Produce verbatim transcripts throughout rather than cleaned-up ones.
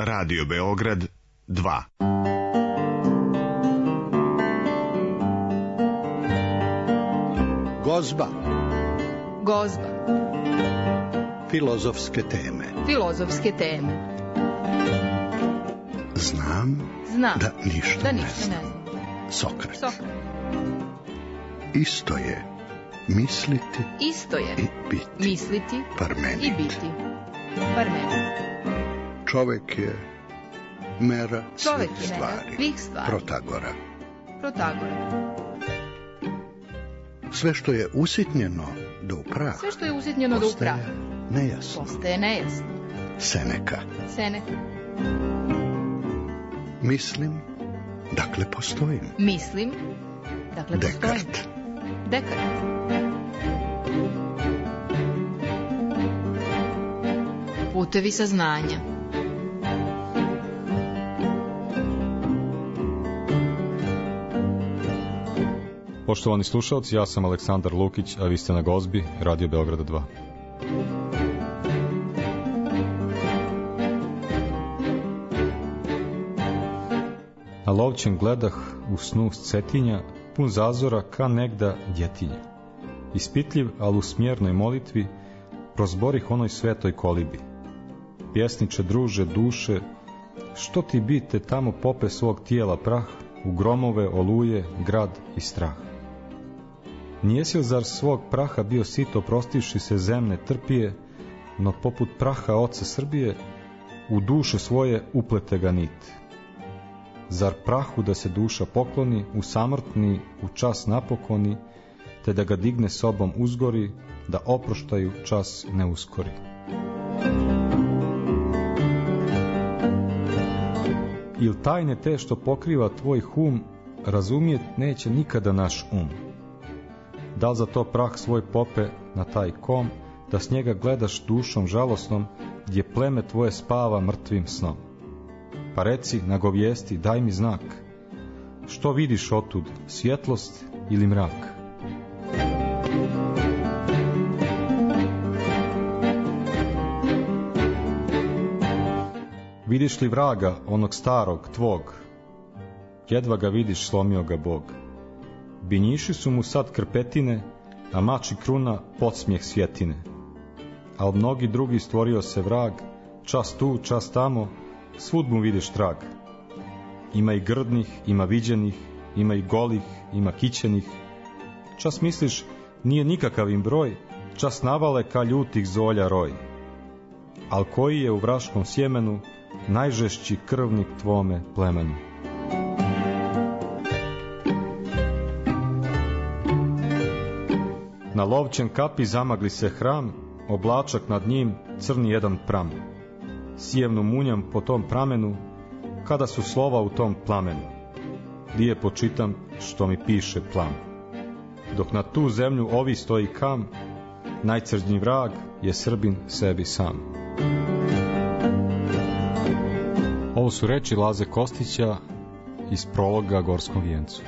Radio Beograd dva. Gozba. Gozba. Filozofske teme. Filozofske teme. Znam, Znam da ništa, da ne ništa znam. ne znam. Sokrat. Sokrat. Isto je misliti Isto je i biti. misliti Parmenid. i biti. Parmenid. Čovek je mera Čovek svih je mera stvari. svih stvari. Protagora. Protagora. Sve što je usitnjeno do u prah, Sve što je usitnjeno do u prah postaje nejasno. postaje nejasno. Seneka. Seneca. Mislim, dakle postojim. Mislim, dakle postojim. Dekart. Dekart. Putevi saznanja. Poštovani slušalci, ja sam Aleksandar Lukić, a vi ste na Gozbi, Radio Beograda dva. Na Lovćen gledah u snu s Cetinja, pun zazora ka negda djetinja. Ispitljiv, al u smjernoj molitvi, prozborih onoj svetoj kolibi. Pjesniče, druže, duše, što ti bite tamo pope svog tijela prah, u gromove, oluje, grad i strah. Nijesi li zar svog praha bio sito prostivši se zemne trpije, no poput praha oca Srbije, u duše svoje uplete ga nit. Zar prahu da se duša pokloni, u samrtni, u čas napokoni, te da ga digne sobom uzgori, da oproštaju čas ne uskori. Il tajne te što pokriva tvoj hum, razumijet neće nikada naš um. Da li za to prah svoj pope na taj kom, da s njega gledaš dušom žalosnom, gdje pleme tvoje spava mrtvim snom? Pa reci, nagovijesti, daj mi znak. Što vidiš otud, svjetlost ili mrak? Vidiš li vraga, onog starog, tvog? Jedva ga vidiš, slomio ga Bog. Binjiši su mu sad krpetine, a mač i kruna podsmijeh svjetine. Al mnogi drugi stvorio se vrag, čas tu, čas tamo, svud mu vidiš trag. Ima i grdnih, ima viđenih, ima i golih, ima kićenih. Čas misliš, nije nikakav im broj, čas navale ka ljutih zolja roj. Al koji je u vraškom sjemenu najžešći krvnik tvome plemenu? Na Lovćen kapi zamagli se hram, oblačak nad njim crni jedan pram. Sijevno munjam po tom pramenu, kada su slova u tom plamenu. Dije počitam što mi piše plan. Dok na tu zemlju ovi stoji kam, najcrđnji vrag je Srbin sebi sam. Ovo su reči Laze Kostića iz prologa Gorskom vijencu.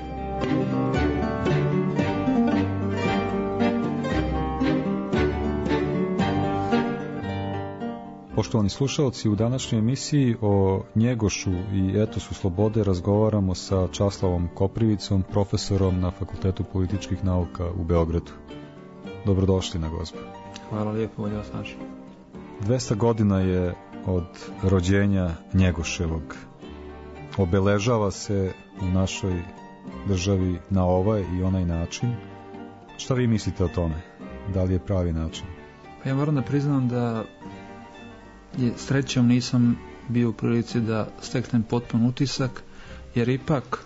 Poštovani slušalci, u današnjoj emisiji o Njegošu i etosu slobode razgovaramo sa Časlavom Koprivicom, profesorom na Fakultetu političkih nauka u Beogradu. Dobrodošli na Gozbu. Hvala lijepo, bolje vas našli. dvesta godina je od rođenja Njegoševog. Obeležava se u našoj državi na ovaj i onaj način. Šta vi mislite o tome? Da li je pravi način? Pa ja moram da priznam da je srećom nisam bio u prilici da steknem potpun utisak, jer ipak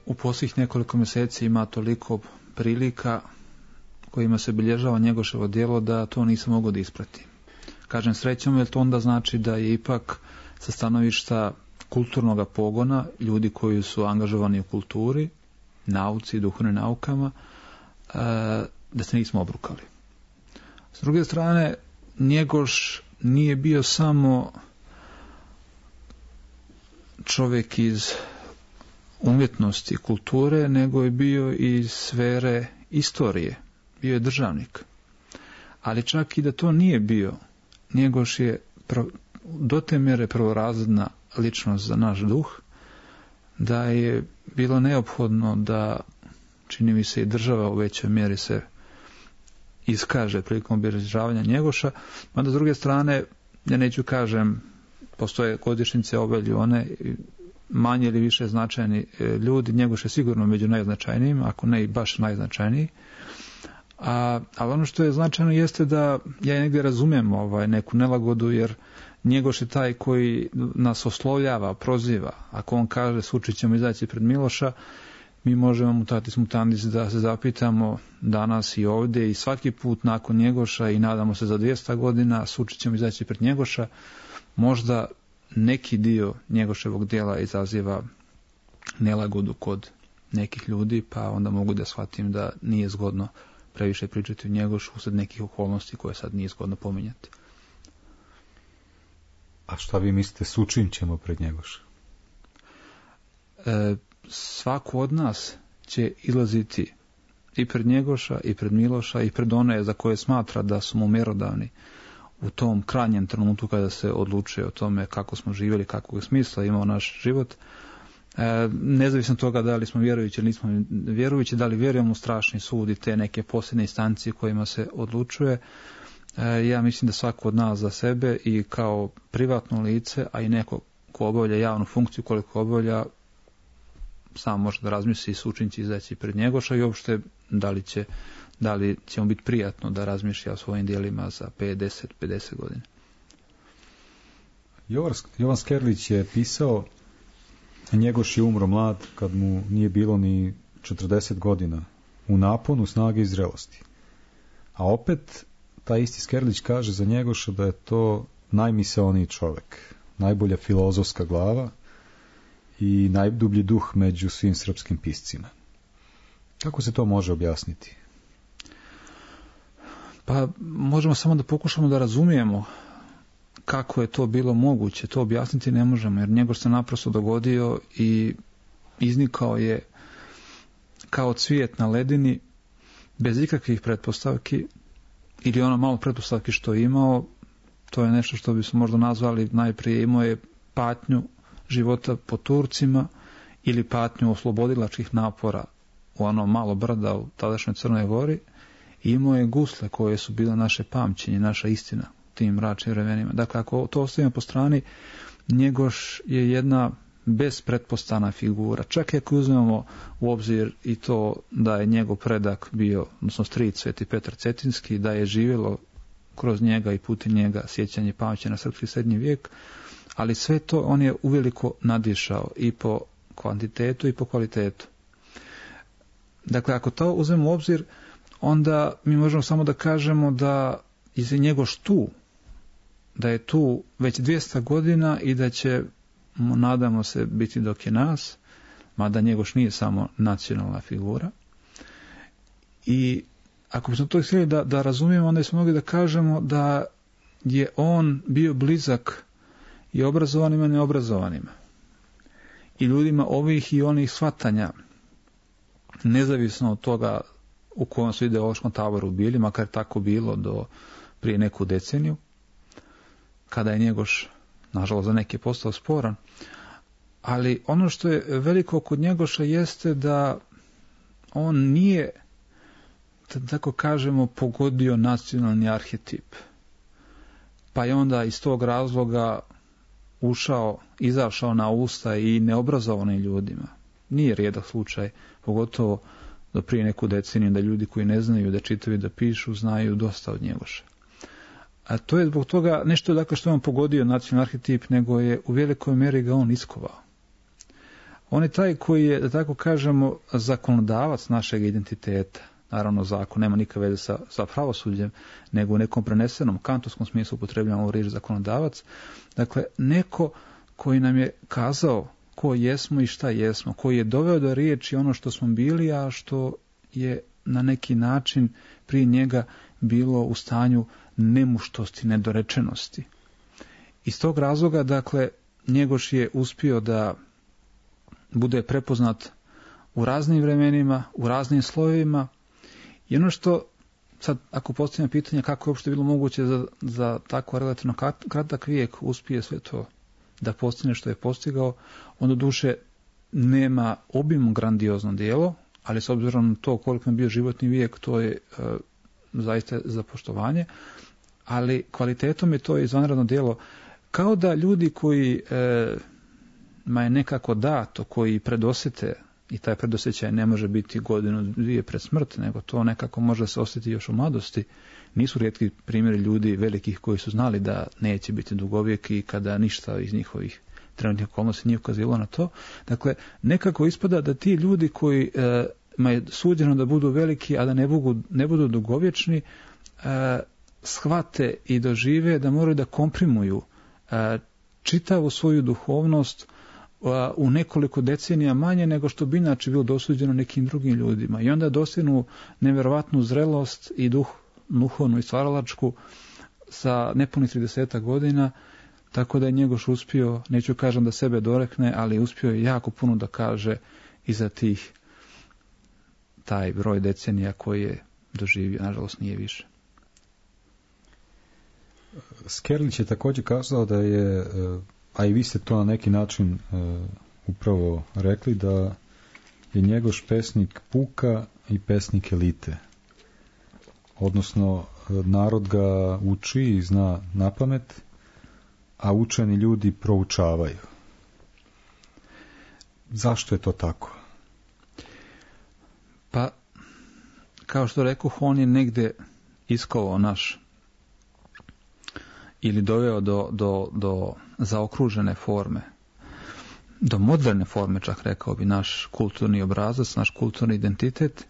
u posljednjih nekoliko mjeseci ima toliko prilika kojima se bilježava Njegoševo djelo da to nisam mogao da ispratim. Kažem srećom, jer to onda znači da je ipak sa stanovišta kulturnog pogona, ljudi koji su angažovani u kulturi, nauci i duhovnim naukama, da se nismo obrukali. S druge strane, Njegoš nije bio samo čovjek iz umjetnosti, kulture, nego je bio iz sfere istorije. Bio je državnik. Ali čak i da to nije bio, Njegoš je pro, do te mjere prvorazredna ličnost za naš duh, da je bilo neophodno da, čini mi se, i država u većoj mjeri se iskaže prilikom obilježavanja Njegoša, mada s druge strane, ja neću kažem, postoje godišnjice ove ili one, manje ili više značajni ljudi, Njegoš je sigurno među najznačajnijim, ako ne i baš najznačajniji. A, ali ono što je značajno jeste da ja negdje razumijem ovaj, neku nelagodu, jer Njegoš je taj koji nas oslovljava, proziva. Ako on kaže sučit ćemo izaći pred Miloša, mi možemo mutatis mutandis da se zapitamo danas i ovdje i svaki put nakon Njegoša i nadamo se za dvjesto godina sučit ćemo izaći pred Njegoša. Možda neki dio Njegoševog djela izaziva nelagodu kod nekih ljudi, pa onda mogu da shvatim da nije zgodno previše pričati o Njegošu usred nekih okolnosti koje sad nije zgodno pominjati. A šta vi mislite, sučin ćemo pred Njegoša? E, svako od nas će izlaziti i pred Njegoša, i pred Miloša, i pred one za koje smatra da su mu mjerodavni u tom krajnjem trenutku kada se odlučuje o tome kako smo živjeli, kakvog smisla imao naš život. E, nezavisno toga da li smo vjerujući ili nismo vjerujući, da li vjerujemo u strašni sud i te neke posljednje instancije kojima se odlučuje, e, ja mislim da svako od nas za sebe i kao privatno lice, a i neko ko obavlja javnu funkciju koliko obavlja, sam može da razmisli i sučin će izaći pred Njegoša i uopšte da li će da li će mu biti prijatno da razmišlja o svojim djelima za pet, deset, pedeset godina. Jovan Skerlić je pisao, Njegoš je umro mlad kad mu nije bilo ni četrdeset godina, u naponu snage i zrelosti. A opet, taj isti Skerlić kaže za Njegoša da je to najmisaoniji čovjek, najbolja filozofska glava i najdublji duh među svim srpskim piscima. Kako se to može objasniti? Pa možemo samo da pokušamo da razumijemo kako je to bilo moguće. To objasniti ne možemo, jer Njegoš se naprosto dogodio i iznikao je kao cvijet na ledini, bez ikakvih pretpostavki, ili ono malo pretpostavki što je imao. To je nešto što bismo možda nazvali, najprije imao je patnju života po Turcima ili patnju oslobodilačkih napora u ono malo brda u tadašnjoj Crnoj Gori. I imao je gusle koje su bile naše pamćenje, naša istina u tim mračnim vremenima. Dakle, ako to ostavimo po strani, Njegoš je jedna bespretpostavna figura. Čak i ako uzmemo u obzir i to da je njegov predak bio, odnosno stric Sveti Petar Cetinski, da je živjelo kroz njega i putem njega sjećanje i pamćenje na srpski srednji vijek, ali sve to on je uveliko nadišao i po kvantitetu i po kvalitetu. Dakle, ako to uzmemo u obzir, onda mi možemo samo da kažemo da je Njegoš tu, da je tu već dvjesto godina i da će, nadamo se, biti dok je nas, mada Njegoš nije samo nacionalna figura. I ako bismo to htjeli da, da razumijemo, onda smo mogli da kažemo da je on bio blizak i obrazovanima i neobrazovanima, i ljudima ovih i onih shvatanja, nezavisno od toga u kojem su ideološkom taboru bili, makar tako bilo do prije neku deceniju, kada je Njegoš, nažalost, za neke postao sporan. Ali ono što je veliko kod Njegoša jeste da on nije, da tako kažemo, pogodio nacionalni arhetip. Pa je onda iz tog razloga ušao, izašao na usta i neobrazovanim ljudima. Nije rijedak slučaj, pogotovo do prije neku deceniju, da ljudi koji ne znaju da čitaju i da pišu znaju dosta od Njegoša. A to je zbog toga nešto, dakle, što je on pogodio nacionalni arhetip, nego je u velikoj mjeri ga on iskovao. On je taj koji je, da tako kažemo, zakonodavac našeg identiteta. Naravno, zakon nema nikakve veze sa, sa pravosuđem, nego u nekom prenesenom kantovskom smislu upotrebljamo riječ zakonodavac. Dakle, neko koji nam je kazao ko jesmo i šta jesmo, koji je doveo do riječi ono što smo bili, a što je na neki način prije njega bilo u stanju nemuštosti, nedorečenosti. Iz tog razloga, dakle, Njegoš je uspio da bude prepoznat u raznim vremenima, u raznim slojevima, i ono što sad ako postavljam pitanje kako je uopšte bilo moguće za, za tako relativno kratak vijek uspije sve to da postigne što je postigao, on do duše nema obimno grandiozno djelo, ali s obzirom na to koliko je bio životni vijek, to je e, zaista za poštovanje, ali kvalitetom je to izvanredno djelo. Kao da ljudi koji e, ma je nekako dato, koji predosjete, i taj predosjećaj ne može biti godinu, dvije pred smrt, nego to nekako može se osjetiti još u mladosti. Nisu rijetki primjeri ljudi velikih koji su znali da neće biti dugovijeki i kada ništa iz njihovih trenutnih okolnosti nije ukazivalo na to. Dakle, nekako ispada da ti ljudi koji e, ma je suđeno da budu veliki, a da ne budu, ne budu dugovječni, e, shvate i dožive da moraju da komprimuju e, čitavu svoju duhovnost u nekoliko decenija manje nego što bi inače bilo dosuđeno nekim drugim ljudima. I onda dostignu nevjerovatnu zrelost i duh, duhovnu i stvaralačku sa nepunih tridesetak godina, tako da je Njegoš uspio, neću kažem da sebe dorekne, ali uspio je jako puno da kaže i za tih taj broj decenija koji je doživio, nažalost nije više. Skerlić je također kazao da je, a i vi ste to na neki način upravo rekli, da je Njegoš pesnik puka i pesnik elite. Odnosno, narod ga uči i zna napamet, a učeni ljudi proučavaju. Zašto je to tako? Pa, kao što rekoh, on je negde iskovao naš ili doveo do, do, do zaokružene forme, do moderne forme, čak rekao bi, naš kulturni obrazac, naš kulturni identitet,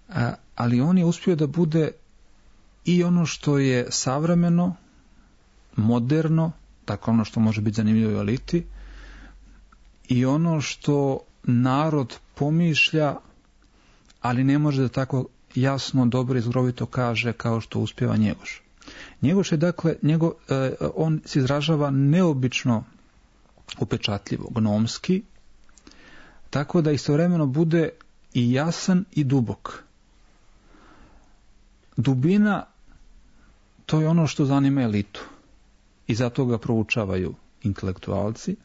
a, ali on je uspio da bude i ono što je savremeno, moderno, tako ono što može biti zanimljivo u eliti, i ono što narod pomišlja, ali ne može da tako jasno, dobro i zgrovito kaže kao što uspjeva Njegoš. Njegoš je, dakle, njego, eh, on se izražava neobično upečatljivo, gnomski, tako da istovremeno bude i jasan i dubok. Dubina, to je ono što zanima elitu i zato ga proučavaju intelektualci.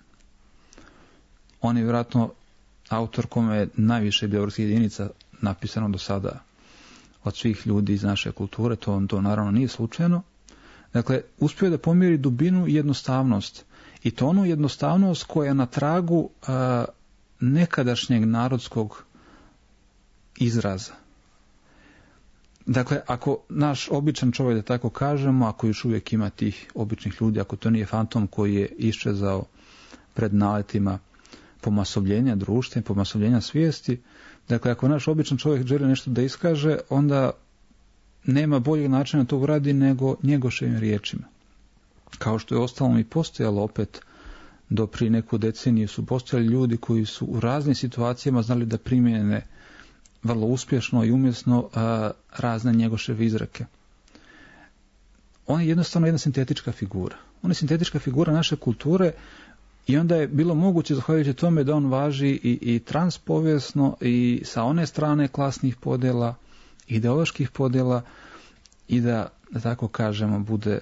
On je vjerojatno autor kome je najviše biografskih jedinica napisano do sada od svih ljudi iz naše kulture, to, to naravno nije slučajno. Dakle, uspio da pomiri dubinu i jednostavnost. I to onu jednostavnost koja je na tragu a, nekadašnjeg narodskog izraza. Dakle, ako naš običan čovjek, da tako kažemo, ako još uvijek ima tih običnih ljudi, ako to nije fantom koji je iščezao pred naletima pomasobljenja društva, pomasobljenja svijesti, dakle, ako naš običan čovjek želi nešto da iskaže, onda nema boljeg načina to uradi nego Njegoševim riječima. Kao što je ostalom i postojalo opet do prije neku deceniju, su postojali ljudi koji su u raznim situacijama znali da primjene vrlo uspješno i umjesno a, razne Njegoševe izreke. On je jednostavno jedna sintetička figura. On je sintetička figura naše kulture i onda je bilo moguće, zahvaljujući tome, da on važi i, i transpovijesno i sa one strane klasnih podjela, ideoloških podjela i da, da tako kažemo, bude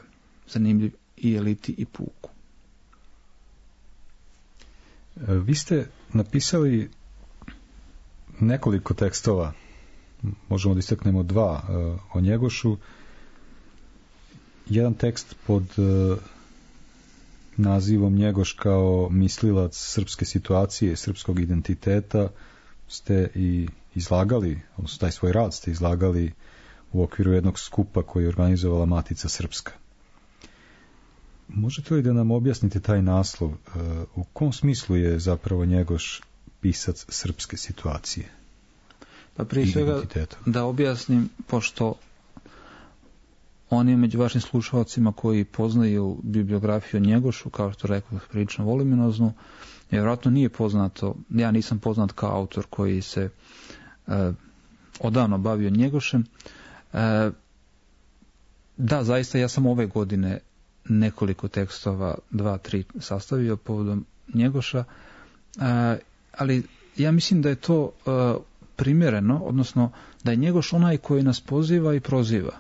zanimljiv i eliti i puku. Vi ste napisali nekoliko tekstova, možemo da istaknemo dva o Njegošu. Jedan tekst pod nazivom Njegoš kao mislilac srpske situacije, srpskog identiteta ste i izlagali, odnosno taj svoj rad ste izlagali u okviru jednog skupa koji je organizovala Matica Srpska. Možete li da nam objasnite taj naslov? U kom smislu je zapravo Njegoš pisac srpske situacije? Pa prije svega da objasnim, pošto on je među vašim slušalcima koji poznaju bibliografiju Njegošu, kao što rekao, prilično voluminoznu, vjerojatno nije poznato, ja nisam poznat kao autor koji se e, odavno bavio Njegošem. E, da, zaista ja sam ove godine nekoliko tekstova, dva, tri, sastavio povodom Njegoša, e, ali ja mislim da je to e, primjereno, odnosno da je Njegoš onaj koji nas poziva i proziva,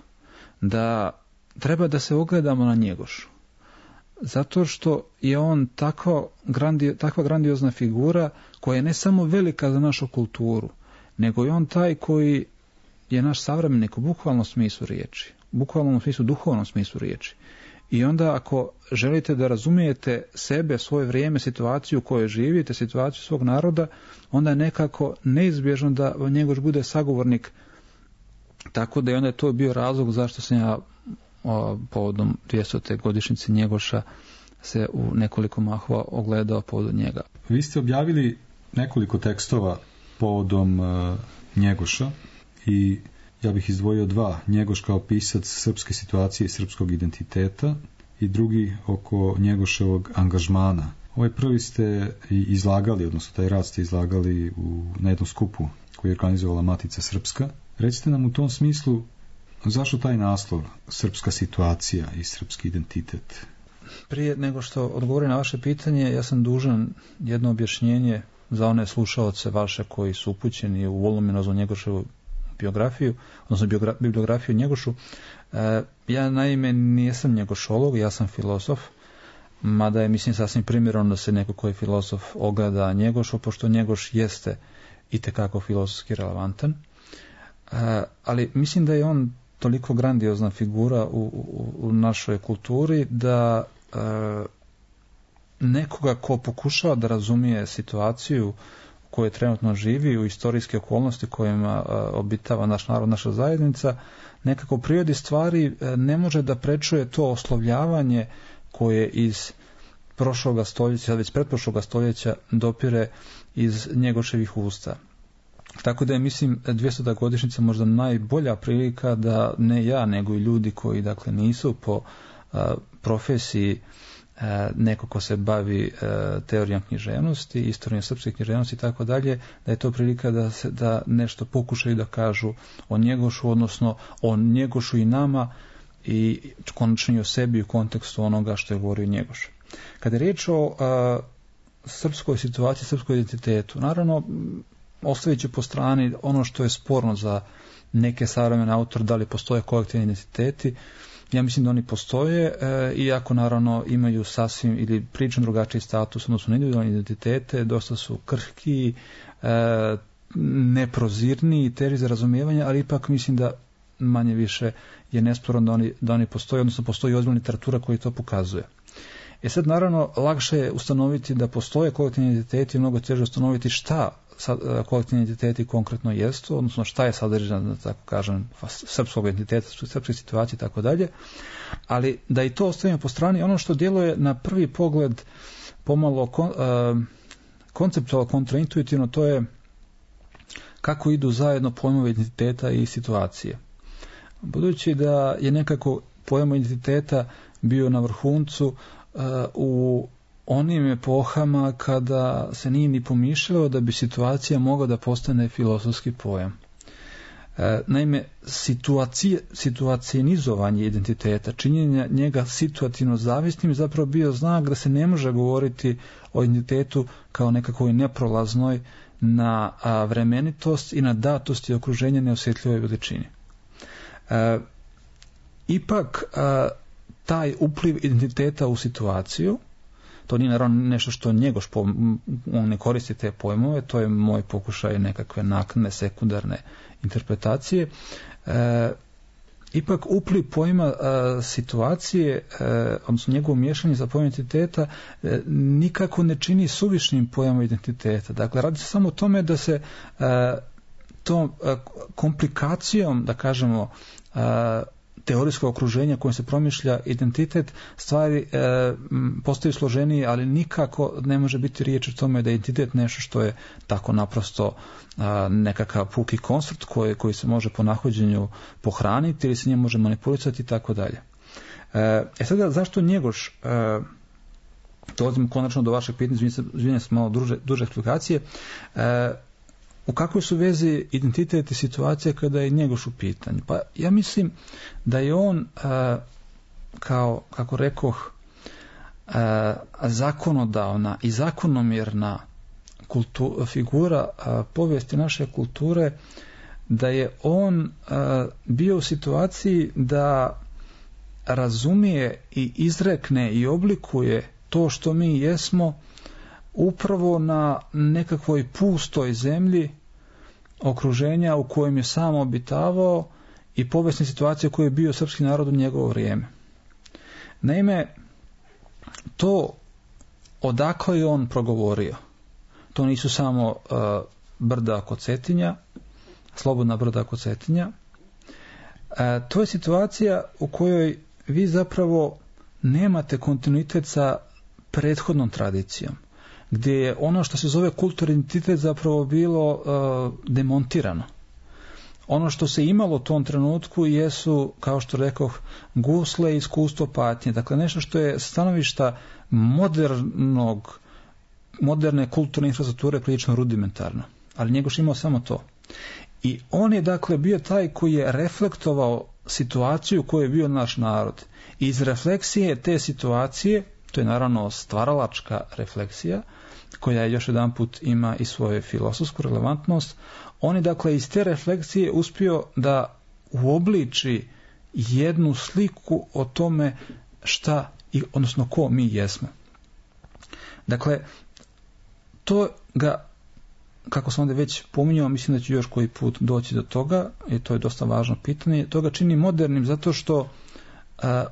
da treba da se ogledamo na Njegošu. Zato što je on tako grandio, takva grandiozna figura koja je ne samo velika za našu kulturu, nego je on taj koji je naš savremenik u bukvalnom smislu riječi, u bukvalnom smislu, duhovnom smislu riječi. I onda ako želite da razumijete sebe, svoje vrijeme, situaciju u kojoj živite, situaciju svog naroda, onda je nekako neizbježno da Njegoš bude sagovornik. Tako da je onda to bio razlog zašto sam ja o, povodom dvjestote godišnjice Njegoša se u nekoliko mahova ogledao povodom njega. Vi ste objavili nekoliko tekstova povodom uh, Njegoša i ja bih izdvojio dva. Njegoš kao pisac srpske situacije i srpskog identiteta i drugi oko Njegoševog angažmana. Ovaj prvi ste izlagali, odnosno taj rad ste izlagali u, na jednom skupu koji je organizovala Matica Srpska. Recite nam u tom smislu zašto taj naslov, srpska situacija i srpski identitet? Prije nego što odgovorim na vaše pitanje, ja sam dužan jedno objašnjenje za one slušaoce vaše koji su upućeni u voluminoznu Njegoševu biografiju, odnosno biogra- bibliografiju Njegošu. E, ja naime nisam njegošolog, ja sam filozof, mada je mislim sasvim primjerno da se neko koji je filozof ogleda Njegošu, pošto Njegoš jeste itekako filozofski relevantan. E, ali mislim da je on toliko grandiozna figura u, u, u našoj kulturi da e, nekoga ko pokušava da razumije situaciju koje trenutno živi u istorijske okolnosti kojima obitava naš narod, naša zajednica, nekako u prirodi stvari ne može da prečuje to oslovljavanje koje iz prošloga stoljeća, već pretprošloga stoljeća dopire iz Njegoševih usta. Tako da je, mislim, dvjestota godišnjica možda najbolja prilika da ne ja, nego i ljudi koji dakle nisu po a, profesiji neko ko se bavi teorijom književnosti, istorijom srpske književnosti i tako dalje, da je to prilika da se da nešto pokušaju da kažu o Njegošu, odnosno o Njegošu i nama i konačno i o sebi u kontekstu onoga što je govorio Njegoš. Kada je riječ o a, srpskoj situaciji, srpskoj identitetu, naravno ostavit ću po strani ono što je sporno za neke savremene autore, da li postoje kolektivni identiteti. Ja mislim da oni postoje, e, iako naravno imaju sasvim ili prilično drugačiji status, odnosno individualne identitete, dosta su krhki, e, neprozirni i teži za razumijevanje, ali ipak mislim da manje više je nesporno da oni, da oni postoje, odnosno postoji ozbiljna literatura koja to pokazuje. E sad naravno lakše je ustanoviti da postoje kolektivni identiteti i mnogo teže ustanoviti šta kolektivni identiteti konkretno jesu, odnosno šta je sadržan, da tako kažem, srpskog identiteta, srpske situacije i tako dalje, ali da i to ostavimo po strani, ono što djeluje na prvi pogled pomalo kon, uh, konceptualno kontraintuitivno, to je kako idu zajedno pojmovi identiteta i situacije. Budući da je nekako pojam identiteta bio na vrhuncu uh, u onim epohama kada se nije ni pomišljalo da bi situacija mogla da postane filozofski pojam. E, naime, situacije, situacionizovanje identiteta, činjenja njega situativno zavisnim je zapravo bio znak da se ne može govoriti o identitetu kao nekakvoj neprolaznoj na a, vremenitost i na datost i okruženja neosjetljivoj veličini. E, ipak, a, taj upliv identiteta u situaciju, to nije naravno nešto što Njegoš, on ne koristi te pojmove, to je moj pokušaj nekakve naknadne, sekundarne interpretacije. E, ipak upliv pojma e, situacije, e, odnosno njegovo miješanje za pojam identiteta, e, nikako ne čini suvišnim pojmom identiteta. Dakle, radi se samo o tome da se e, tom e, komplikacijom, da kažemo, e, teorijskog okruženja kojim se promišlja identitet, stvari e, postaju složenije, ali nikako ne može biti riječ o tome da je identitet nešto što je tako naprosto a, nekakav puki konstrukt koji, koji se može po nahođenju pohraniti ili se njemu može manipulisati i tako dalje. E sada, zašto Njegoš, e, dolazimo konačno do vašeg pitanja, izvinjam se malo duže, duže eksplikacije, e, u kakvoj su vezi identitet i situacija kada je Njegoš u pitanju? Pa ja mislim da je on, a, kao, kako rekoh, a, zakonodavna i zakonomjerna kultu, figura a, povijesti naše kulture, da je on a, bio u situaciji da razumije i izrekne i oblikuje to što mi jesmo upravo na nekakvoj pustoj zemlji okruženja u kojem je sam obitavao i povijesne situacije u kojoj je bio srpski narod u njegovo vrijeme. Naime, to odakle je on progovorio, to nisu samo uh, brda kod Cetinja, slobodna brda kod Cetinja. Uh, to je situacija u kojoj vi zapravo nemate kontinuitet sa prethodnom tradicijom, gdje je ono što se zove kulturni identitet zapravo bilo uh, demontirano. Ono što se imalo u tom trenutku jesu, kao što rekoh, gusle i iskustvo patnje. Dakle, nešto što je stanovišta modernog, moderne kulturne infrastrukture prilično rudimentarno. Ali Njegoš imao samo to. I on je, dakle, bio taj koji je reflektovao situaciju u kojoj je bio naš narod. I iz refleksije te situacije, to je naravno stvaralačka refleksija, koja je još jedan put ima i svoju filosofsku relevantnost, on je, dakle, iz te refleksije uspio da uobliči jednu sliku o tome šta, odnosno ko mi jesmo. Dakle, to ga, kako sam onda već pominjao, mislim da ću još koji put doći do toga, i to je dosta važno pitanje, to ga čini modernim zato što uh,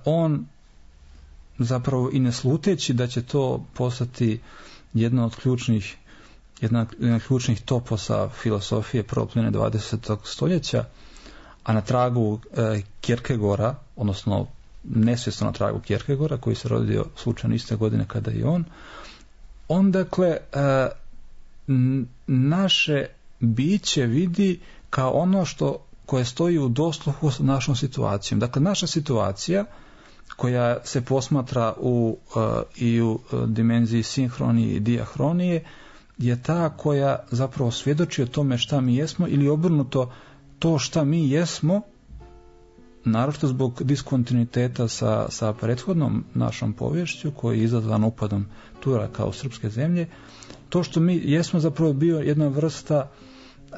on zapravo i ne sluteći da će to postati jedna od ključnih jedna od ključnih toposa filosofije prvog polovine dvadesetog stoljeća, a na tragu e, Kierkegaarda, odnosno nesvjesno na tragu Kierkegaarda, koji se rodio slučajno iste godine kada i on, on dakle e, naše biće vidi kao ono što koje stoji u dosluhu s našom situacijom. Dakle, naša situacija koja se posmatra u, uh, i u uh, dimenziji sinhronije i dijahronije je ta koja zapravo svjedoči o tome šta mi jesmo, ili obrnuto, to šta mi jesmo, naročito zbog diskontinuiteta sa, sa prethodnom našom poviješću koji je izazvan upadom Turaka u srpske zemlje, to što mi jesmo zapravo bio jedna vrsta uh,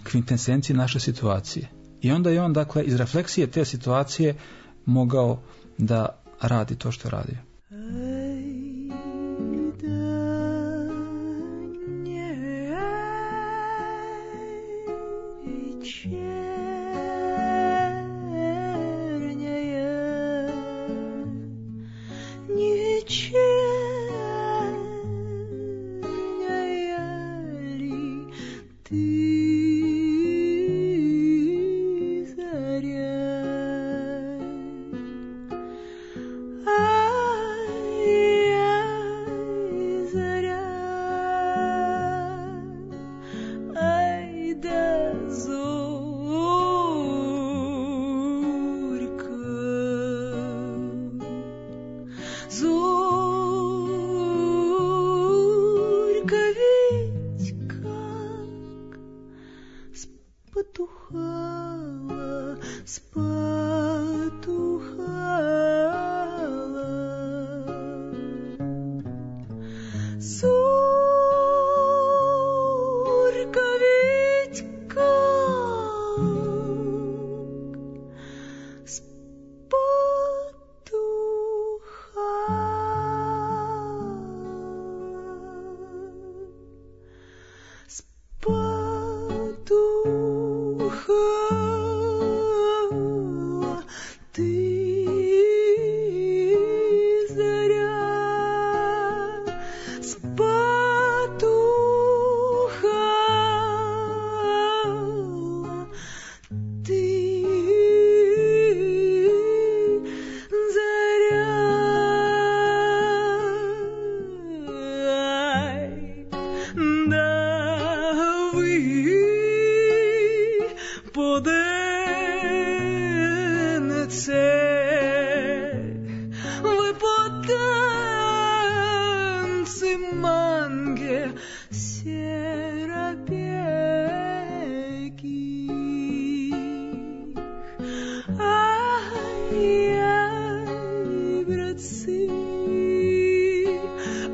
kvintesencije naše situacije. I onda je on, dakle, iz refleksije te situacije mogao da radi to što je radio.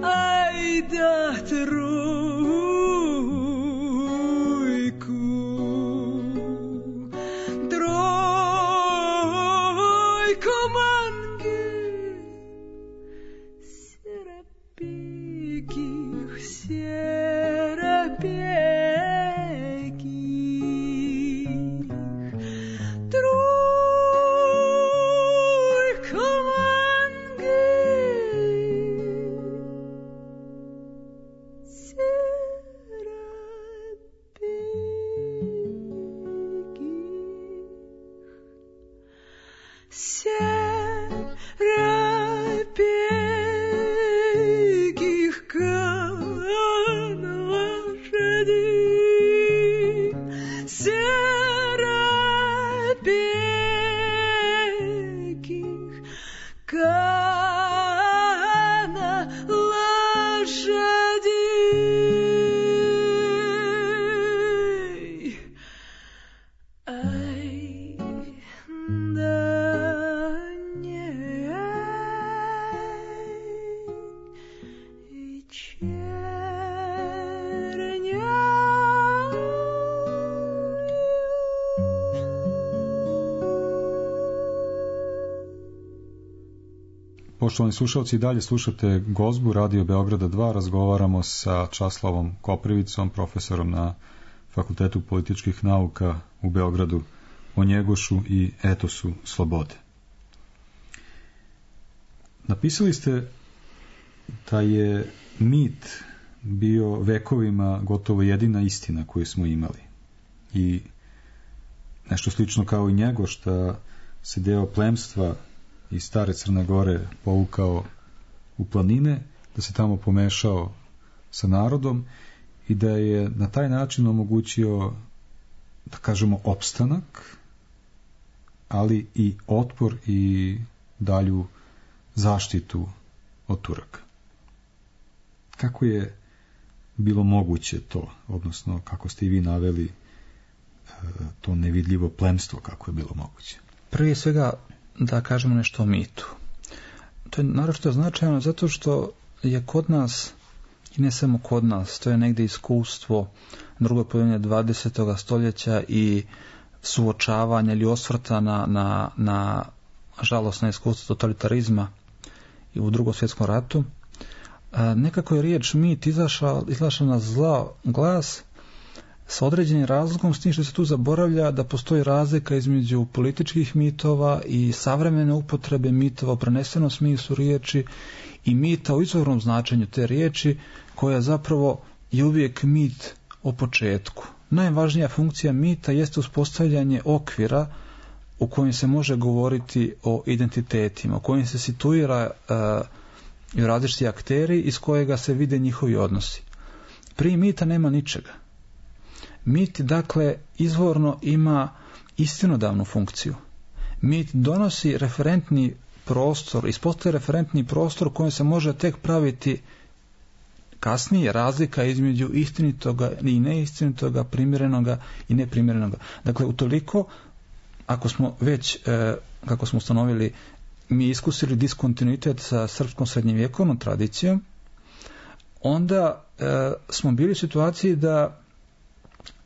Ай, да, трудно. Poštovani slušalci, i dalje slušate Gozbu Radio Beograda dva. Razgovaramo sa Časlavom Koprivicom, profesorom na Fakultetu političkih nauka u Beogradu, o Njegošu i etosu slobode. Napisali ste da je mit bio vekovima gotovo jedina istina koju smo imali. I nešto slično kao i Njegoš, da se deo plemstva iz stare Crne Gore povukao u planine, da se tamo pomešao sa narodom i da je na taj način omogućio, da kažemo, opstanak, ali i otpor i dalju zaštitu od Turaka. Kako je bilo moguće to, odnosno kako ste i vi naveli to nevidljivo plemstvo, kako je bilo moguće? Prije svega da kažemo nešto o mitu. To je naročito značajno zato što je kod nas, i ne samo kod nas, to je negdje iskustvo drugoj polovine dvadesetog stoljeća i suočavanja ili osvrta na, na, na žalosno iskustvo totalitarizma i u Drugom svjetskom ratu. A, nekako je riječ mit izašla, izašla na zla glas sa određenim razlikom, s tim što se tu zaboravlja da postoji razlika između političkih mitova i savremene upotrebe mitova u prenesenom smislu riječi i mita u izvornom značenju te riječi, koja zapravo je uvijek mit o početku. Najvažnija funkcija mita jeste uspostavljanje okvira u kojem se može govoriti o identitetima, u kojem se situira uh, različiti akteri iz kojega se vide njihovi odnosi. Prije mita nema ničega. Mit, dakle, izvorno ima istinodavnu funkciju. Mit donosi referentni prostor, ispostaje referentni prostor u kojem se može tek praviti kasnije razlika između istinitoga i neistinitoga, primjerenoga i neprimjerenoga. Dakle, utoliko, ako smo već, e, kako smo ustanovili, mi iskusili diskontinuitet sa srpskom srednjevjekovnom tradicijom, onda e, smo bili u situaciji da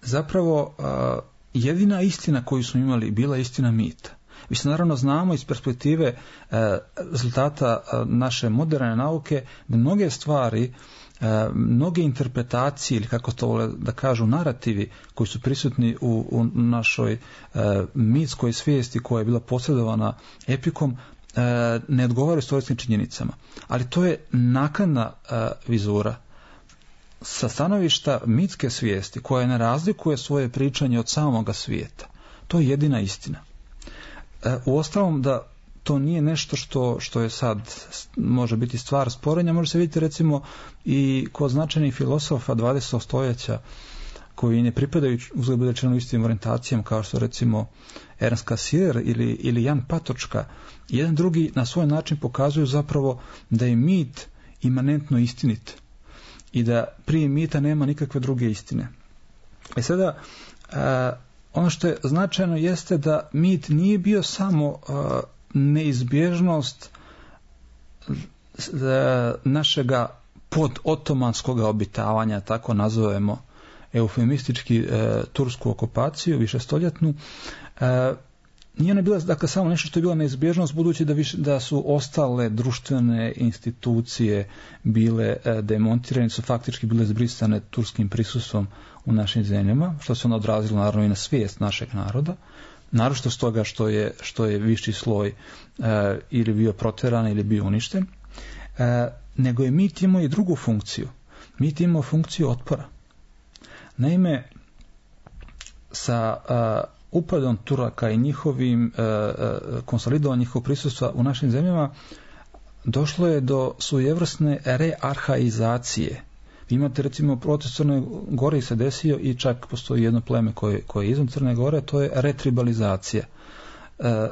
zapravo a, jedina istina koju smo imali bila istina mita. Mi se naravno znamo iz perspektive a, rezultata a, naše moderne nauke da mnoge stvari, a, mnoge interpretacije ili kako to vole da kažu narativi koji su prisutni u, u našoj a, mitskoj svijesti koja je bila posredovana epikom, a, ne odgovaraju istorijskim činjenicama. Ali to je naknadna a, vizura. Sa stanovišta mitske svijesti, koja ne razlikuje svoje pričanje od samoga svijeta. To je jedina istina. E, uostalom da to nije nešto što, što je sad može biti stvar sporenja, može se vidjeti recimo i kod značajnih filosofa dvadesetog stoljeća koji ne pripadaju uzgled rečeno istim orijentacijama kao što recimo Ernst Cassirer ili, ili Jan Patočka. Jedan drugi na svoj način pokazuju zapravo da je mit imanentno istinit i da prije mita nema nikakve druge istine. I sada, a, ono što je značajno jeste da mit nije bio samo a, neizbježnost a, našega podotomanskog obitavanja, tako nazovemo eufemistički a, tursku okupaciju, višestoljetnu. A, Nije ona bila, dakle, samo nešto što je bila neizbježnost, budući da, više, da su ostale društvene institucije bile e, demontirane, su faktički bile zbrisane turskim prisustvom u našim zemljama, što se ono odrazilo naravno i na svijest našeg naroda, naročito stoga što je, što je viši sloj e, ili bio proteran ili bio uništen, e, nego je mit imao i drugu funkciju. Mit imao funkciju otpora. Naime, sa a, upadom Turaka i njihovim e, e, konsolidovanjem njihovog prisustva u našim zemljama došlo je do svojevrsne rearhaizacije. Vi imate recimo proces Crne Gore se desio i čak postoji jedno pleme koje, koje je izvan Crne Gore, to je retribalizacija. E,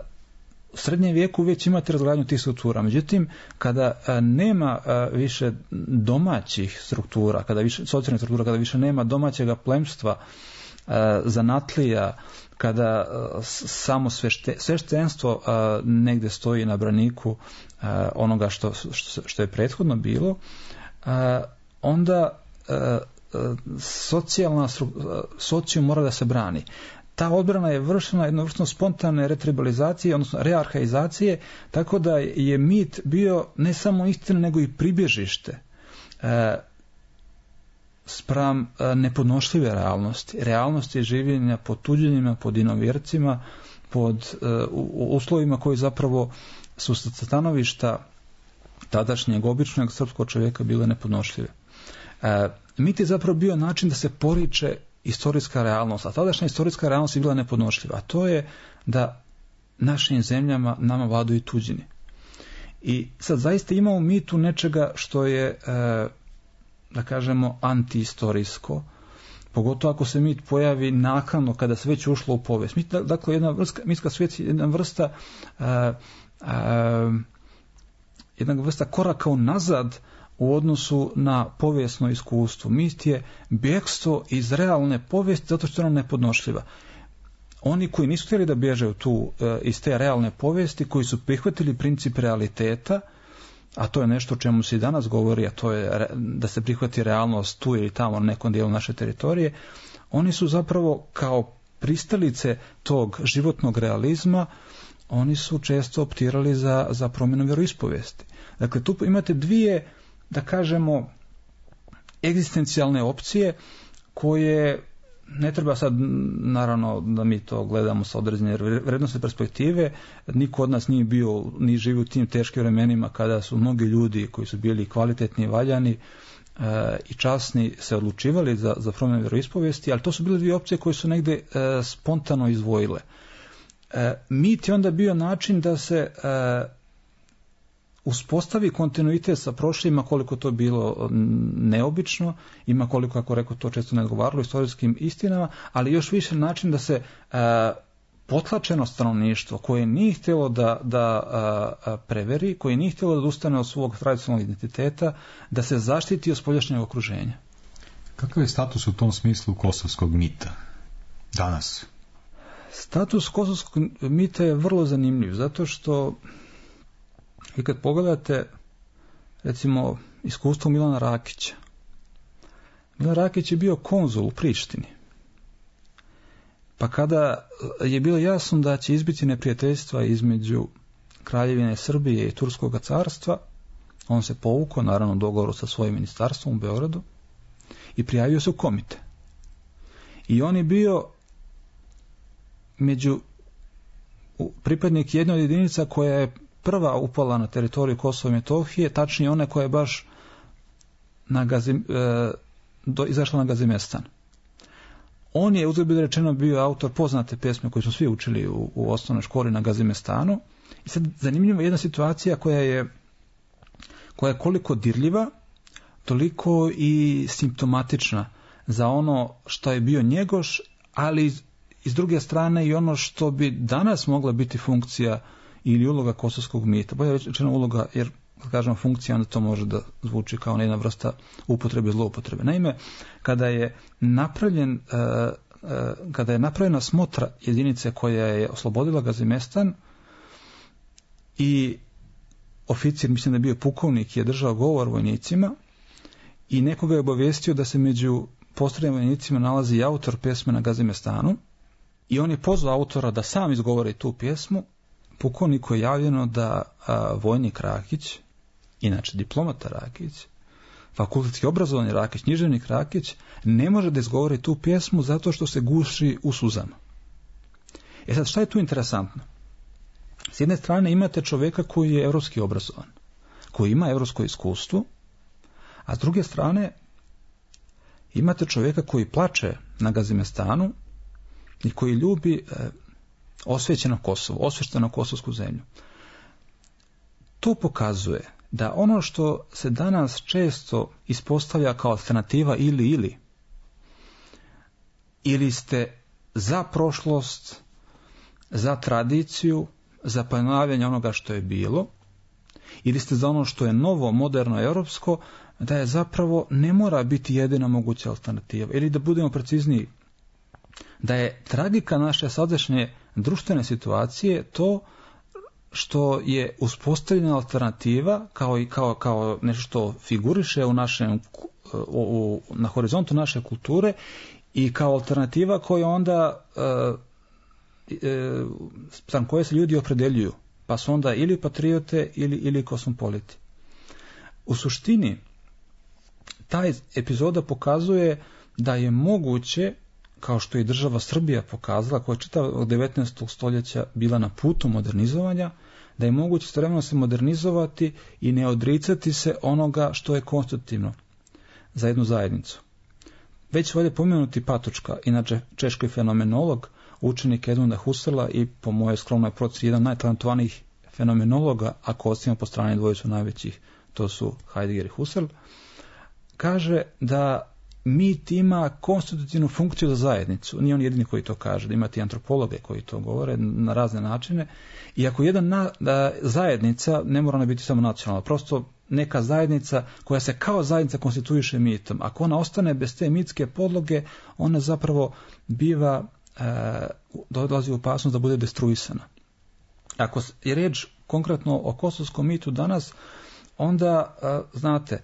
u srednjem vijeku već imate razgradnju tih struktura, međutim kada a, nema a, više domaćih struktura, kada više socijalnih struktura, kada više nema domaćega plemstva, a, zanatlija, kada uh, samo svešte, sveštenstvo uh, negdje stoji na braniku uh, onoga što, što, što je prethodno bilo, uh, onda uh, uh, socijalna uh, socijum mora da se brani. ta odbrana je vršena jednovrstno spontane retribalizacije, odnosno rearhaizacije, tako da je mit bio ne samo istina, nego i pribježište e, spram e, nepodnošljive realnosti. Realnosti življenja pod tuđenjima, pod inovjercima, pod e, u, uslovima koji zapravo su sa stanovišta tadašnjeg običnog srpskog čovjeka bile nepodnošljive. E, mit je zapravo bio način da se poriče istorijska realnost, a tadašnja istorijska realnost je bila nepodnošljiva, a to je da našim zemljama nama vladaju tuđini. I sad zaista ima u mitu nečega što je, e, da kažemo, antiistorijsko, pogotovo ako se mit pojavi naknadno kada se već ušlo u povijest. Mit, dakle, jedna vrsta, mitska svijest je jedna vrsta e, e, jedna vrsta koraka unazad u odnosu na povijesno iskustvo. Mit je bjegstvo iz realne povijesti zato što je ona nepodnošljiva. Oni koji nisu htjeli da bježe tu, iz te realne povijesti, koji su prihvatili princip realiteta, a to je nešto o čemu se i danas govori, a to je da se prihvati realnost tu ili tamo na nekom dijelu naše teritorije, oni su zapravo kao pristalice tog životnog realizma, oni su često optirali za, za promjenu vjeroispovijesti. Dakle, tu imate dvije, da kažemo, egzistencijalne opcije koje ne treba sad, naravno, da mi to gledamo sa određene vrednostne perspektive. Niko od nas nije bio, ni živi u tim teškim vremenima kada su mnogi ljudi koji su bili kvalitetni i valjani e, i časni se odlučivali za, za promjenu vjeroispovijesti, ali to su bile dvije opcije koje su negdje e, spontano izdvojile. E, mit je onda bio način da se e, uspostavi kontinuitet sa prošlima, koliko to bilo neobično, ima koliko, ako rekao, to često ne odgovaralo istorijskim istinama, ali još više način da se e, potlačeno stanovništvo koje nije htjelo da, da a, preveri, koje nije htjelo da ustane od svog tradicionalnog identiteta, da se zaštiti od spoljašnjeg okruženja. Kakav je status u tom smislu kosovskog mita danas? Status kosovskog mita je vrlo zanimljiv, zato što i kad pogledate, recimo, iskustvo Milana Rakića. Milan Rakić je bio konzul u Prištini. Pa kada je bilo jasno da će izbiti neprijateljstva između Kraljevine Srbije i Turskog carstva, on se povukao, naravno, u dogovoru sa svojim ministarstvom u Beogradu i prijavio se u komite. I on je bio među pripadnik jedne od jedinica koja je prva upala na teritoriju Kosova i Metohije, tačnije ona koja je baš na Gazim, e, do, izašla na Gazimestan. On je, uzgled biti rečeno, bio autor poznate pjesme koje smo svi učili u, u osnovnoj školi na Gazimestanu. I sad zanimljiva je jedna situacija koja je, koja je koliko dirljiva, toliko i simptomatična za ono što je bio Njegoš, ali iz, iz druge strane i ono što bi danas mogla biti funkcija ili uloga kosovskog mita. Bolje rečeno uloga, jer kad kažemo funkcija, onda to može da zvuči kao jedna vrsta upotrebe i zloupotrebe. Naime, kada je napravljen, kada je napravljena smotra jedinice koja je oslobodila Gazimestan i oficir, mislim da je bio pukovnik, je držao govor vojnicima i nekoga je obavijestio da se među postrojnim vojnicima nalazi i autor pjesme na Gazimestanu i on je pozvao autora da sam izgovori tu pjesmu. Pukovniku je javljeno da a, vojnik Rakić, inače diplomata Rakić, fakultetski obrazovani Rakić, književnik Rakić, ne može da izgovori tu pjesmu zato što se guši u suzama. E sad, šta je tu interesantno? S jedne strane imate čovjeka koji je evropski obrazovan, koji ima evropsko iskustvo, a s druge strane imate čovjeka koji plače na Gazimestanu i koji ljubi e, osvećeno Kosovo, osvešteno kosovsku zemlju. To pokazuje da ono što se danas često ispostavlja kao alternativa ili ili, ili ste za prošlost, za tradiciju, za ponavljanje onoga što je bilo, ili ste za ono što je novo, moderno, europsko, da je zapravo ne mora biti jedina moguća alternativa. Ili da budemo precizniji, da je tragika naše sadašnje društvene situacije to što je uspostavljena alternativa kao i kao, kao nešto što figuriše u našem, u, u, na horizontu naše kulture i kao alternativa koja onda e, e, spram koje se ljudi opredeljuju, pa su onda ili patriote ili, ili kosmopoliti. U suštini, ta epizoda pokazuje da je moguće, kao što je država Srbija pokazala, koja je čitavog devetnaestog stoljeća bila na putu modernizovanja, da je moguće istovremeno se modernizovati i ne odricati se onoga što je konstitutivno za jednu zajednicu. Već ovdje pomenuti Patočka, inače češki fenomenolog, učenik Edmunda Husserla i po mojoj skromnoj procjeni jedan najtalentovanijih fenomenologa, ako ostavimo po strani dvojicu najvećih, to su Heidegger i Husserl, kaže da mit ima konstitutivnu funkciju za zajednicu. Nije on jedini koji to kaže, da imate i antropologe koji to govore na razne načine. I ako jedan na, da zajednica, ne mora ona biti samo nacionalna, prosto neka zajednica koja se kao zajednica konstituiše mitom, ako ona ostane bez te mitske podloge, ona zapravo biva, e, dolazi u opasnost da bude destruisana. Ako je reč konkretno o kosovskom mitu danas, onda, e, znate,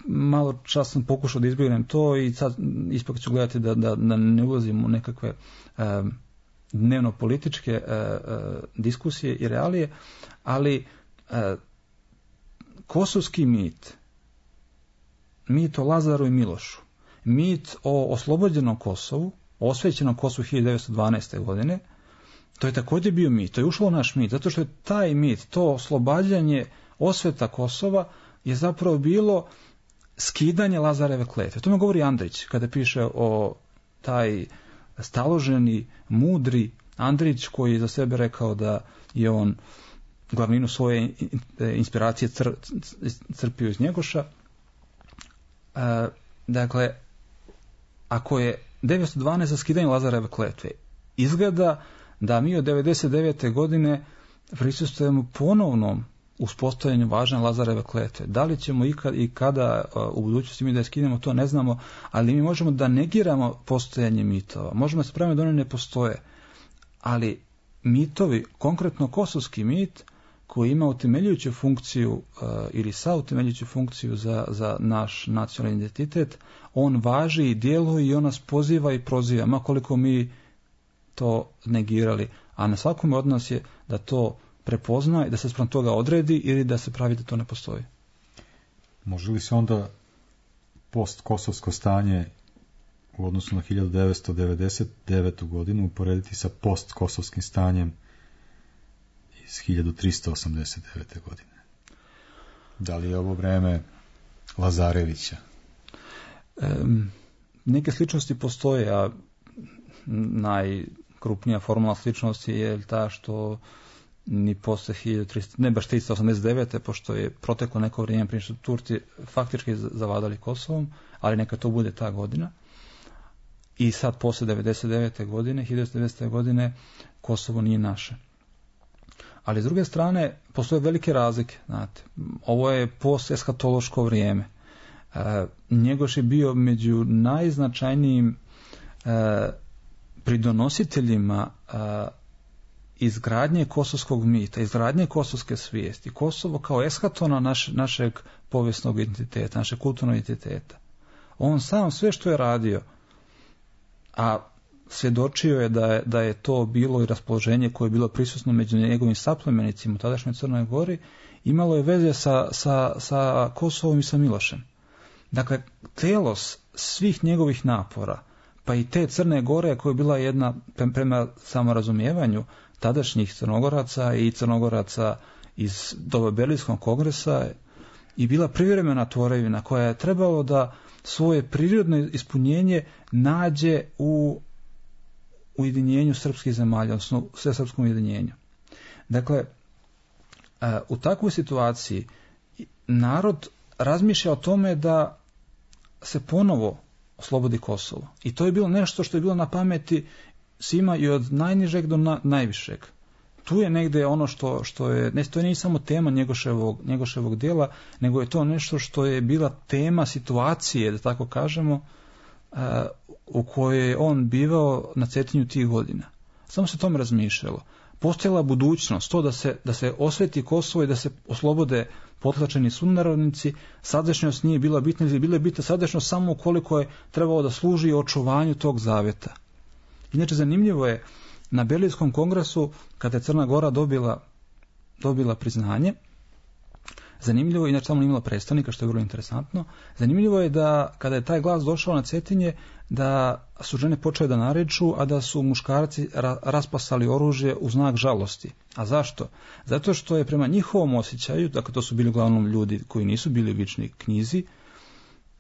malo čas sam pokušao da izbjegnem to i sad ipak ću gledati da, da, da ne ulazim u nekakve e, dnevno političke e, e, diskusije i realije, ali e, kosovski mit, mit o Lazaru i Milošu, mit o oslobođenom Kosovu, osvećenom Kosovu hiljadu devetsto dvanaeste. godine, to je također bio mit, to je ušlo u naš mit, zato što je taj mit, to oslobađanje osveta Kosova je zapravo bilo skidanje Lazareve kletve. To me govori Andrić kada piše o taj staloženi, mudri Andrić koji je za sebe rekao da je on glavninu svoje inspiracije cr, crpio iz Njegoša. E, dakle, ako je devetsto dvanaeste. za skidanje Lazareve kletve, izgleda da mi od devedeset devete. godine prisustvujemo ponovnom uspostavljanju važne Lazareve kletve. Da li ćemo ikad i kada u budućnosti mi da je skinemo, to ne znamo, ali mi možemo da negiramo postojanje mitova. Možemo se praviti da one ne postoje. Ali mitovi, konkretno kosovski mit, koji ima utemeljujuću funkciju uh, ili sa utemeljujuću funkciju za, za naš nacionalni identitet, on važi i djeluje i on nas poziva i proziva, ma koliko mi to negirali. A na svakome od nas je da to prepozna i da se spram toga odredi ili da se pravi da to ne postoji. Može li se onda post-kosovsko stanje u odnosu na hiljadu devetsto devedeset devetu. godinu uporediti sa post-kosovskim stanjem iz hiljadu tristo osamdeset devete. godine? Da li je ovo vreme Lazarevića? E, neke sličnosti postoje, a najkrupnija formalna sličnost je ta što ni posle hiljadu tristo, ne baš tristo osamdeset devete. pošto je proteklo neko vrijeme prije što Turci faktički zavladali Kosovom, ali neka to bude ta godina. I sad posle devedeset devete. godine, hiljadu devetsto devedesete. godine, Kosovo nije naše. Ali s druge strane, postoje velike razlike. Znate, ovo je post-eskatološko vrijeme. E, Njegoš je bio među najznačajnijim e, pridonositeljima e, izgradnje kosovskog mita, izgradnje kosovske svijesti. Kosovo kao eskatona naš, našeg povijesnog identiteta, našeg kulturnog identiteta. On sam sve što je radio, a svjedočio je da je, da je to bilo i raspoloženje koje je bilo prisutno među njegovim saplemenicima u tadašnjoj Crnoj Gori, imalo je veze sa, sa, sa Kosovom i sa Milošem. Dakle, telos svih njegovih napora, pa i te Crne Gore koja je bila jedna, prema samorazumijevanju tadašnjih Crnogoraca i Crnogoraca iz doba Berlinskog kongresa, i bila privremena tvorevina koja je trebalo da svoje prirodno ispunjenje nađe u ujedinjenju srpskih zemalja, odnosno sve srpskom ujedinjenju. Dakle, u takvoj situaciji narod razmišlja o tome da se ponovo oslobodi Kosovo. I to je bilo nešto što je bilo na pameti svima i od najnižeg do na, najvišeg. Tu je negdje ono što, što je, ne, to nije samo tema Njegoševog, Njegoševog dijela, nego je to nešto što je bila tema situacije, da tako kažemo, uh, u kojoj je on bivao na Cetinju tih godina. Samo se o tome razmišljalo. Postojala budućnost, to da se, da se osveti Kosovo i da se oslobode potlačeni sunarodnici, sadašnjost nije bila bitna, ili bila je bitna sadašnjost samo ukoliko je trebalo da služi očuvanju tog zavjeta. Inače, zanimljivo je na Berlinskom kongresu, kada je Crna Gora dobila, dobila priznanje, zanimljivo je, inače tamo imala predstavnika, što je vrlo interesantno, zanimljivo je da kada je taj glas došao na Cetinje, da su žene počele da naređu, a da su muškarci ra- raspasali oružje u znak žalosti. A zašto? Zato što je prema njihovom osjećaju, dakle to su bili uglavnom ljudi koji nisu bili vični knjizi,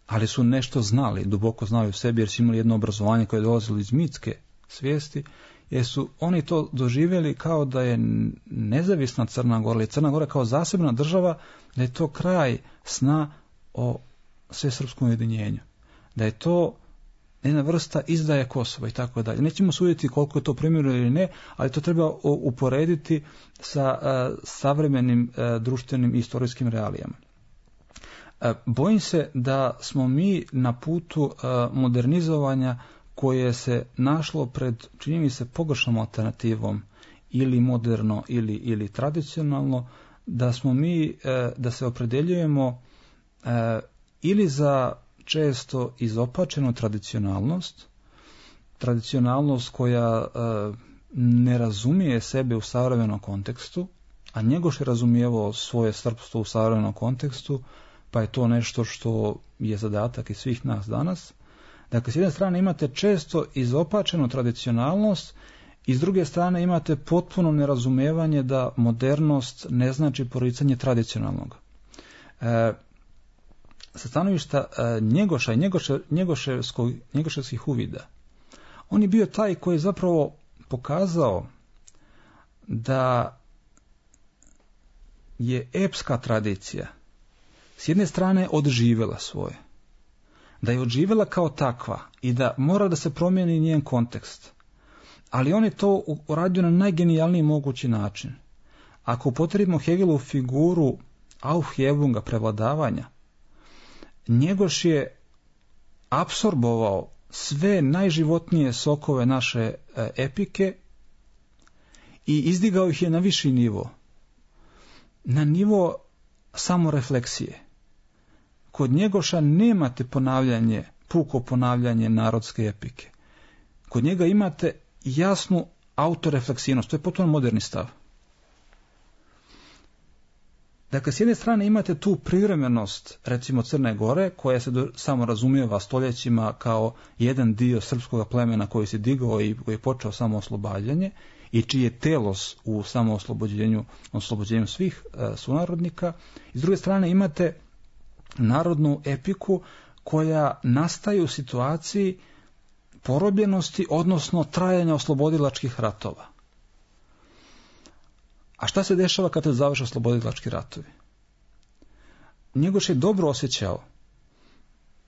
ali su nešto znali, duboko znali u sebi, jer su imali jedno obrazovanje koje je dolazilo iz mitske svijesti, jer su oni to doživjeli kao da je nezavisna Crna Gora, ili Crna Gora kao zasebna država, da je to kraj sna o svesrpskom ujedinjenju. Da je to jedna vrsta izdaje Kosova i tako dalje. Nećemo suditi koliko je to primjerno ili ne, ali to treba uporediti sa uh, savremenim uh, društvenim i istorijskim realijama. Uh, bojim se da smo mi na putu uh, modernizovanja koje se našlo pred, čini mi se, pogrešnom alternativom, ili moderno ili, ili tradicionalno, da smo mi, uh, da se opredeljujemo uh, ili za često izopačenu tradicionalnost, tradicionalnost koja e, ne razumije sebe u savremenom kontekstu, a Njegoš je razumijevao svoje srpstvo u savremenom kontekstu, pa je to nešto što je zadatak i svih nas danas. Dakle, s jedne strane imate često izopačenu tradicionalnost, i s druge strane imate potpuno nerazumijevanje da modernost ne znači poricanje tradicionalnog. E, sa stanovišta uh, Njegoša i Njegoše, Njegoševskih uvida, on je bio taj koji je zapravo pokazao da je epska tradicija s jedne strane odživjela svoje, da je odživjela kao takva i da mora da se promijeni njen kontekst, ali on je to uradio na najgenijalniji mogući način. Ako upotrebimo Hegelovu figuru Aufhebunga, prevladavanja, Njegoš je apsorbovao sve najživotnije sokove naše e, epike i izdigao ih je na viši nivo, na nivo samorefleksije. Kod Njegoša nemate ponavljanje, puko ponavljanje narodske epike. Kod njega imate jasnu autorefleksivnost, to je potpuno moderni stav. Dakle, s jedne strane imate tu privremenost, recimo Crne Gore, koja se do, samo razumijeva stoljećima kao jedan dio srpskog plemena koji se digao i koji je počeo samo oslobađanje i čiji je telos u samooslobođenju, oslobođenju svih e, sunarodnika. I s druge strane imate narodnu epiku koja nastaje u situaciji porobljenosti, odnosno trajanja oslobodilačkih ratova. A šta se dešava kada se završe oslobodilački ratovi? Njegoš je dobro osjećao,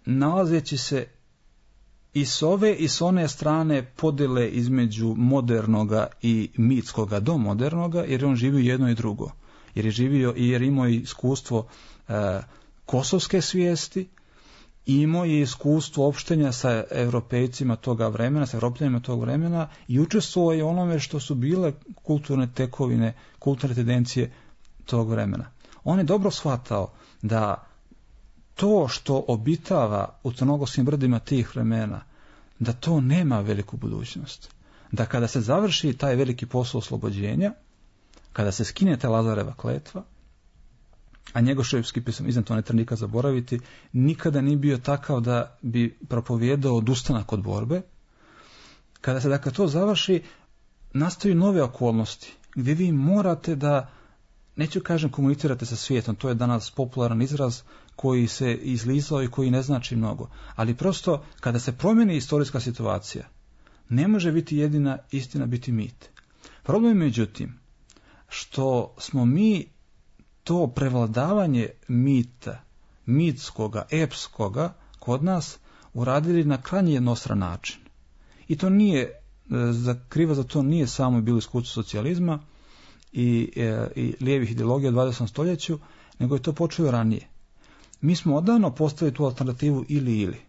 nalazeći se i s ove i s one strane podjele između modernoga i mitskoga do modernoga, jer je on živio jedno i drugo. Jer je živio i jer imao iskustvo e, kosovske svijesti, i imao je iskustvo opštenja sa Europejcima toga vremena, sa Evropljanima tog vremena, i učestvovao je onome što su bile kulturne tekovine, kulturne tendencije tog vremena. On je dobro shvatao da to što obitava u crnogorskim brdima tih vremena, da to nema veliku budućnost. Da kada se završi taj veliki posao oslobođenja, kada se skine ta Lazareva kletva, a Njegoševski pisam, iznad to ne treba nikad zaboraviti, nikada nije bio takav da bi propovijedao odustanak od borbe. Kada se dakle to završi, nastaju nove okolnosti, gdje vi morate da, neću kažem komunicirate sa svijetom, to je danas popularan izraz koji se izlizao i koji ne znači mnogo, ali prosto kada se promijeni istorijska situacija, ne može biti jedina istina biti mit. Problem je međutim što smo mi to prevladavanje mita, mitskoga, epskoga, kod nas uradili na krajnje jednostran način. I to nije, kriva za to nije samo bilo iskustvo socijalizma i, i lijevih ideologija u dvadesetom stoljeću, nego je to počelo ranije. Mi smo odavno postavili tu alternativu ili ili.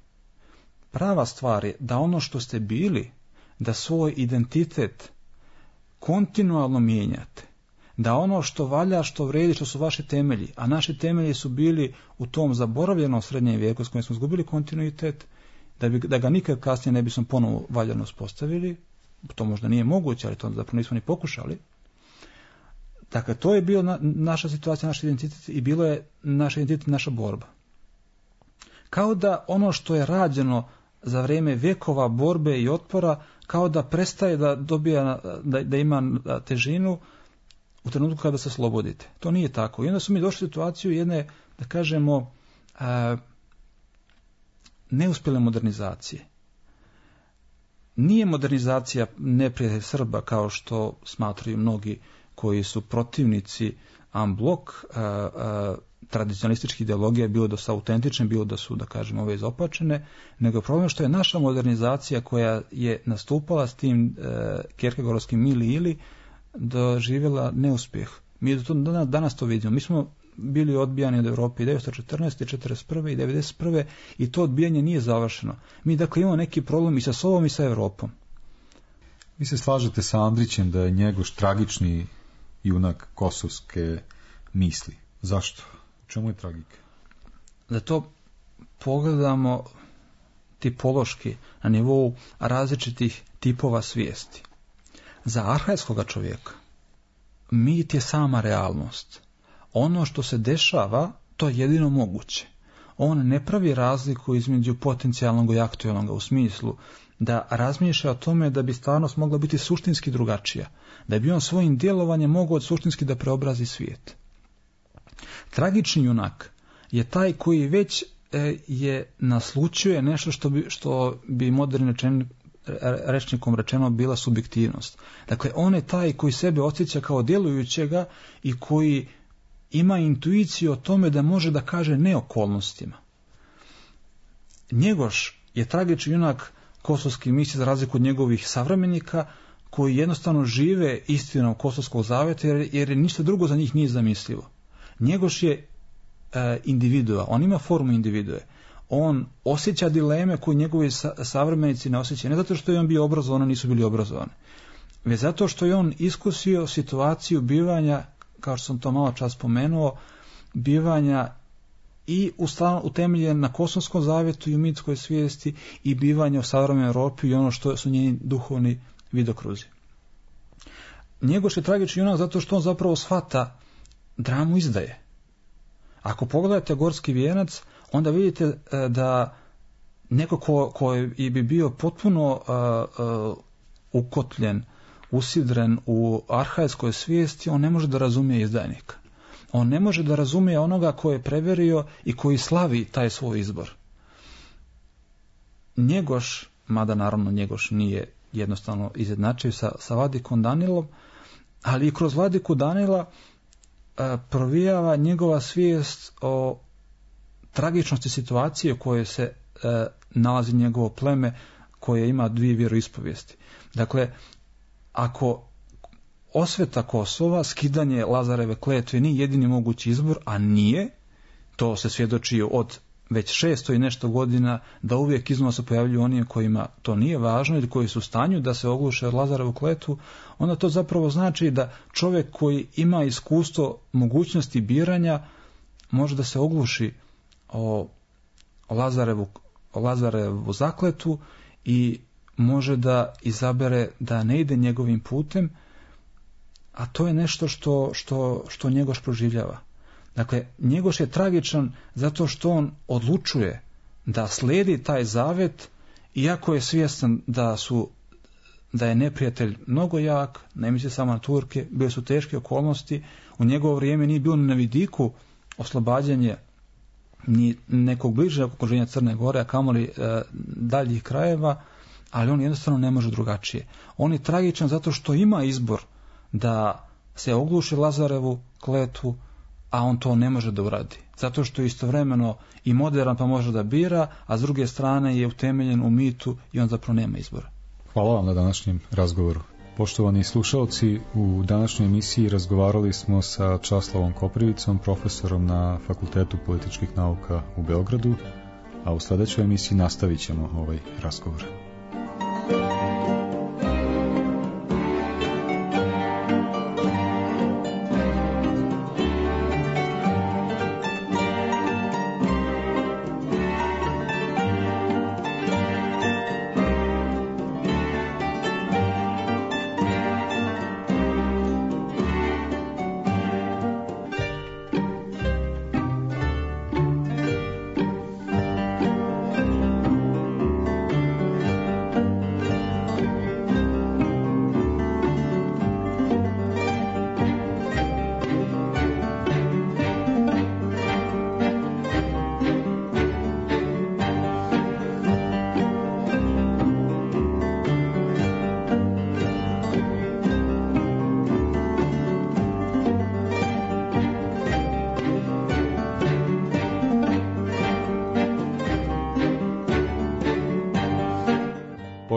Prava stvar je da ono što ste bili, da svoj identitet kontinualno mijenjate. Da ono što valja, što vredi, što su vaši temelji, a naši temelji su bili u tom zaboravljenom srednjem vijeku s kojim smo izgubili kontinuitet, da, bi, da ga nikad kasnije ne bismo ponovo valjano uspostavili, to možda nije moguće, ali to zapravo nismo ni pokušali. Dakle, to je bio na, naša situacija, naš identitet i bilo je naš identitet, naša borba. Kao da ono što je rađeno za vrijeme vjekova borbe i otpora, kao da prestaje da dobija, da, da ima težinu u trenutku kada se slobodite. To nije tako. I onda su mi došli u situaciju jedne, da kažemo, a, neuspjele modernizacije. Nije modernizacija neprijatelj Srba kao što smatraju mnogi koji su protivnici en bloc tradicionalističkih ideologija, bilo da su autentične, bilo da su, da kažemo, ove izopačene, nego problem što je naša modernizacija koja je nastupala s tim e, kjerkegorovskim ili ili doživjela neuspjeh. Mi to, danas, danas to vidimo. Mi smo bili odbijani od Europe i devetsto četrnaeste, četrdeset prve i devedeset prve i to odbijanje nije završeno. Mi dakle imamo neki problem i sa sobom i sa Europom. Vi se slažete sa Andrićem da je Njegoš tragični junak kosovske misli. Zašto? U čemu je tragika? Da to pogledamo tipološki na nivou različitih tipova svijesti. Za arhajskoga čovjeka mit je sama realnost. Ono što se dešava, to je jedino moguće. On ne pravi razliku između potencijalnog i aktualnog u smislu da razmišlja o tome da bi stvarnost mogla biti suštinski drugačija, da bi on svojim djelovanjem mogao suštinski da preobrazi svijet. Tragični junak je taj koji već e, je naslučuje nešto što bi, što bi modernim rečen, rečnikom rečeno bila subjektivnost. Dakle, on je taj koji sebe osjeća kao djelujućega i koji ima intuiciju o tome da može da kaže ne okolnostima. Njegoš je tragični junak kosovski misli za razliku od njegovih savremenika koji jednostavno žive istinom Kosovskog zaveta jer, jer ništa drugo za njih nije zamislivo. Njegoš je e, individua, on ima formu individue. On osjeća dileme koje njegovi sa, savremenici ne osjećaju. Ne zato što je on bio obrazovan, nisu bili obrazovani. Već zato što je on iskusio situaciju bivanja, kao što sam to malo čas spomenuo, bivanja i utemeljen na Kosovskom zavetu i u mitskoj svijesti i bivanje u savremenoj Europi i ono što su njeni duhovni vidokruzi. Njegoš je tragični junak zato što on zapravo shvata dramu izdaje. Ako pogledate Gorski vijenac, onda vidite da neko ko, ko bi bio potpuno uh, uh, ukotljen, usidren u arhajskoj svijesti, on ne može da razumije izdajnika. On ne može da razumije onoga ko je preverio i koji slavi taj svoj izbor. Njegoš, mada naravno Njegoš nije jednostavno izjednačio sa, sa Vladikom Danilom, ali i kroz Vladiku Danila a, provijava njegova svijest o tragičnosti situacije u kojoj se a, nalazi njegovo pleme koje ima dvije vjeroispovijesti. Dakle, ako osveta Kosova, skidanje Lazareve kletve nije jedini mogući izbor, a nije, to se svjedoči od već šesto i nešto godina da uvijek iznova se pojavljuju oni kojima to nije važno ili koji su u stanju da se ogluše od Lazarevu kletvu, onda to zapravo znači da čovjek koji ima iskustvo mogućnosti biranja može da se ogluši o, o, Lazarevu, o Lazarevu zakletu i može da izabere da ne ide njegovim putem, a to je nešto što, što, što Njegoš proživljava. Dakle, Njegoš je tragičan zato što on odlučuje da slijedi taj zavet, iako je svjestan da su da je neprijatelj mnogo jak, ne misli samo na Turke, bile su teške okolnosti, u njegovo vrijeme nije bilo na vidiku oslobađanje ni nekog bližeg okruženja Crne Gore, a kamoli e, daljih krajeva, ali on jednostavno ne može drugačije. On je tragičan zato što ima izbor da se ogluši Lazarevu kletvu, a on to ne može da uradi. Zato što je istovremeno i modern pa može da bira, a s druge strane je utemeljen u mitu i on zapravo nema izbora. Hvala vam na današnjem razgovoru. Poštovani slušalci, u današnjoj emisiji razgovarali smo sa Časlavom Koprivicom, profesorom na Fakultetu političkih nauka u Beogradu, a u sljedećoj emisiji nastavit ćemo ovaj razgovor.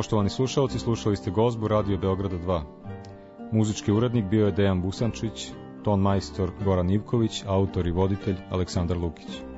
Poštovani slušalci, slušali ste Gozbu Radio Beograda dva. Muzički urednik bio je Dejan Busančić, ton majstor Goran Ivković, autor i voditelj Aleksandar Lukić.